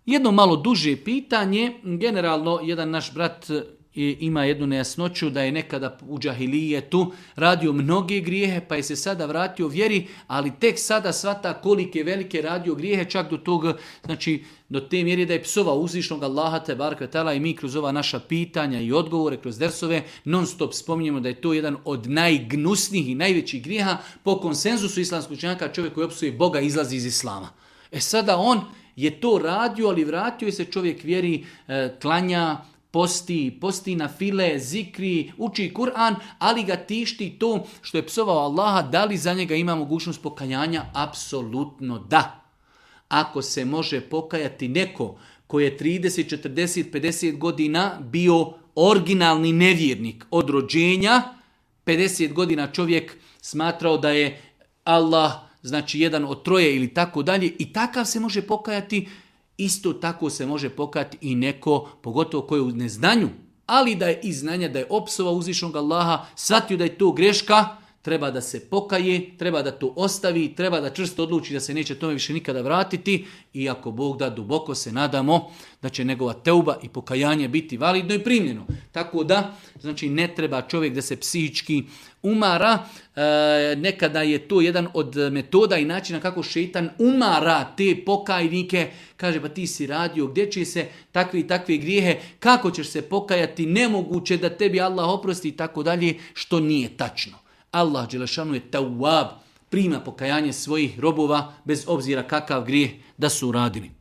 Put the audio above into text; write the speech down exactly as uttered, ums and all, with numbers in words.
Jedno malo duže pitanje, generalno jedan naš brat ima jednu nejasnoću da je nekada u džahilijetu radio mnoge grijehe pa je se sada vratio vjeri, ali tek sada shvata kolike velike radio grijehe, čak do tog, znači do te mjere da je psovao uzvišnog Allaha te baraka ta'ala i mi kroz ova naša pitanja i odgovore, kroz dersove non stop spominjemo da je to jedan od najgnusnijih i najvećih grijeha. Po konsenzusu islamskog učenjaka čovjek koji opsuje Boga izlazi iz islama. E sada on je to radio, ali vratio je se čovjek vjeri, e, klanja, posti, posti na file, zikri, uči Kur'an, ali ga tišti to što je psovao Allaha. Da li za njega ima mogućnost pokajanja? Apsolutno da. Ako se može pokajati neko koji je trideset, četrdeset, pedeset godina bio originalni nevjernik od rođenja, pedeset godina čovjek smatrao da je Allah, znači jedan od troje ili tako dalje, i takav se može pokajati. Isto tako se može pokajati i neko, pogotovo koji je u neznanju, ali da je iz znanja, da je opsovao uzvišnog Allaha, shvatio da je to greška, treba da se pokaje, treba da to ostavi, treba da čvrsto odluči da se neće tome više nikada vratiti i ako Bog da, duboko se nadamo da će njegova teuba i pokajanje biti validno i primljeno. Tako da, znači ne treba čovjek da se psihički umara. E, nekada je to jedan od metoda i načina kako šeitan umara te pokajnike. Kaže, pa ti si radio, gdje će se takve i takve grijehe, kako ćeš se pokajati, nemoguće da tebi Allah oprosti i tako dalje, što nije tačno. Allah dželešanu je tawwab, prima pokajanje svojih robova bez obzira kakav grijeh da su uradili.